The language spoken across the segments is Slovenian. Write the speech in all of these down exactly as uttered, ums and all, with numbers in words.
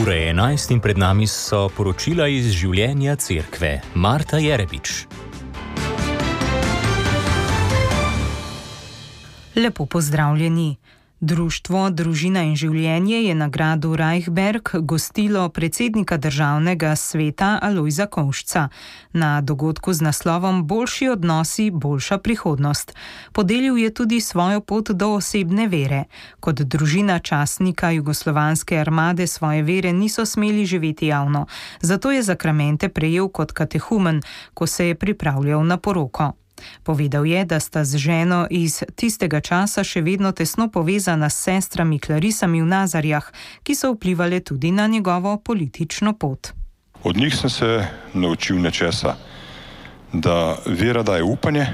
Ura je enajst in pred nami so poročila iz življenja cerkve. Marta Jerebič. Lepo pozdravljeni. Društvo Družina in življenje je na gradu Reichberg gostilo predsednika državnega sveta Alojza Kovšca na dogodku z naslovom Boljši odnosi, boljša prihodnost. Podelil je tudi svojo pot do osebne vere. Kot družina častnika jugoslovanske armade svoje vere niso smeli živeti javno, zato je zakramente prejel kot katehumen, ko se je pripravljal na poroko. Povedal je, da sta z ženo iz tistega časa še vedno tesno povezana s sestrami Klarisami v Nazarjah, ki so vplivali tudi na njegovo politično pot. Od njih sem se naučil nečesa, da vera daje upanje,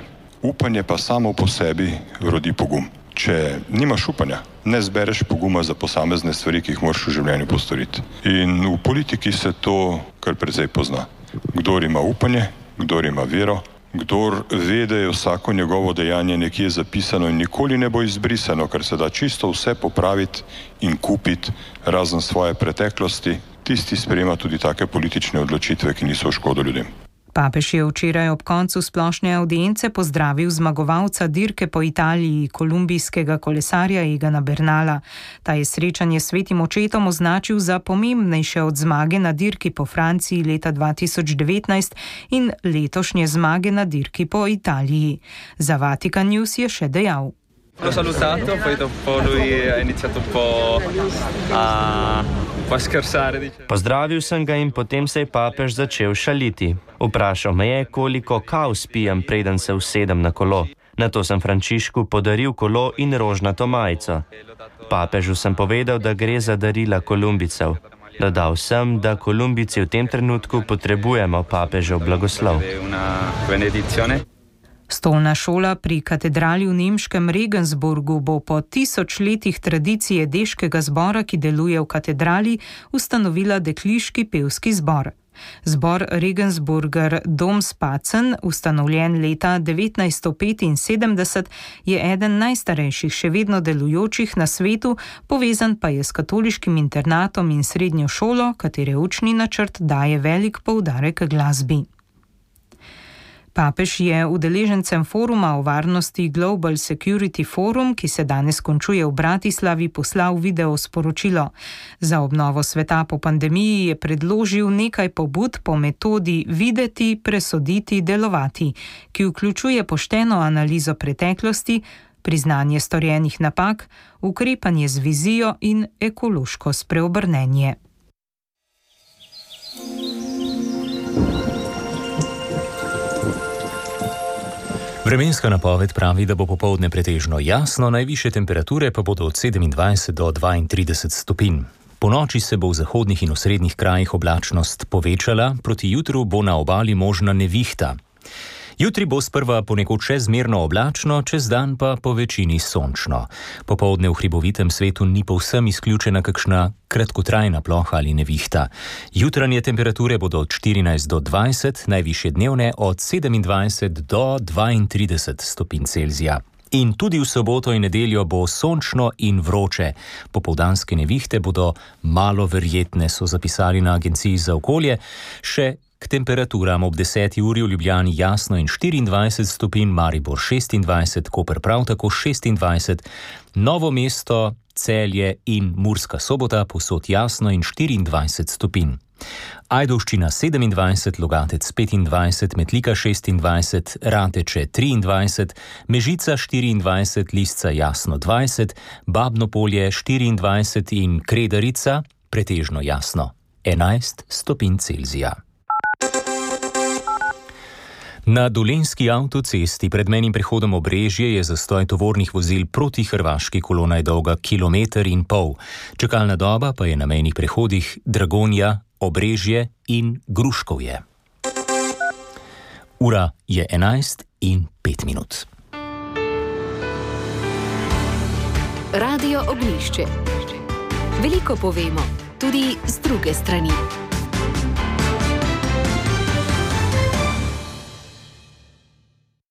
upanje pa samo po sebi rodi pogum. Če nimaš upanja, ne zbereš poguma za posamezne stvari, ki jih moraš v življenju postoriti. In v politiki se to kar precej pozna. Kdor ima upanje, kdor ima vero, kdor ve, da je vsako njegovo dejanje nekje zapisano in nikoli ne bo izbrisano, ker se da čisto vse popraviti in kupiti razen svoje preteklosti, tisti sprejema tudi take politične odločitve, ki niso v škodo ljudem. Papež je včeraj ob koncu splošne avdience pozdravil zmagovalca dirke po Italiji, kolumbijskega kolesarja Egana Bernala. Ta je srečanje s svetim očetom označil za pomembnejše od zmage na dirki po Franciji leta dva tisoč devetnajst in letošnje zmage na dirki po Italiji. Za Vatikan News je še dejal. L'ho salutato, poi dopo lui ha iniziato un po' a, un po' a scherzare. Pozdravil sem ga in potem se je papež začel šaliti. Vprašal me je, koliko kav spijem, preden se usedem na kolo. Nato sem Frančišku podaril kolo in rožnato majico. Papežu sem povedal, da gre za darila Kolumbijcev. Dodal sem, da Kolumbijci v tem trenutku potrebujemo papežev blagoslov. Stolna šola pri katedrali v nemškem Regensburgu bo po tisoč letih tradicije deškega zbora, ki deluje v katedrali, ustanovila dekliški pevski zbor. Zbor Regensburger Domspacen, ustanovljen leta devetnajststo petinsedemdeset, je eden najstarejših še vedno delujočih na svetu, povezan pa je s katoliškim internatom in srednjo šolo, katere učni načrt daje velik poudarek glasbi. Papež je udeležencem foruma o varnosti Global Security Forum, ki se danes končuje v Bratislavi, poslal video sporočilo. Za obnovo sveta po pandemiji je predložil nekaj pobud po metodi videti, presoditi, delovati, ki vključuje pošteno analizo preteklosti, priznanje storjenih napak, ukrepanje z vizijo in ekološko spreobrnenje. Vremenska napoved pravi, da bo popoldne pretežno jasno, najvišje temperature pa bodo od sedemindvajset do dvaintrideset stopinj. Po noči se bo v zahodnih in osrednjih krajih oblačnost povečala, proti jutru bo na obali možna nevihta. Jutri bo sprva ponekod še zmerno oblačno, čez dan pa po večini sončno. Popoldne v hribovitem svetu ni povsem izključena kakšna kratkotrajna ploha ali nevihta. Jutranje temperature bodo od štirinajst do dvajset, najvišje dnevne od sedemindvajset do dvaintrideset stopinj Celzija. In tudi v soboto in nedeljo bo sončno in vroče. Popoldanske nevihte bodo malo verjetne, so zapisali na Agenciji za okolje. Še k temperaturam ob deseti uri v Ljubljani jasno in štiriindvajset stopinj, Maribor šestindvajset, Koper prav tako šestindvajset, Novo mesto, Celje in Murska Sobota povsod jasno in štiriindvajset stopinj. Ajdovščina sedemindvajset, Logatec petindvajset, Metlika šestindvajset, Rateče triindvajset, Mežica štiriindvajset, Lisca jasno dvajset, Babno Polje štiriindvajset in Kredarica pretežno jasno enajst stopinj Celzija. Na dolenjski avtocesti pred mejnim prehodom Obrežje je zastoj tovornih vozil proti hrvaški, kolona je dolga kilometer in pol. Čakalna doba pa je na mejnih prehodih Dragonja, Obrežje in Gruškovje. Ura je enajst in pet minut. Radio Ognjišče. Veliko povemo, tudi z druge strani.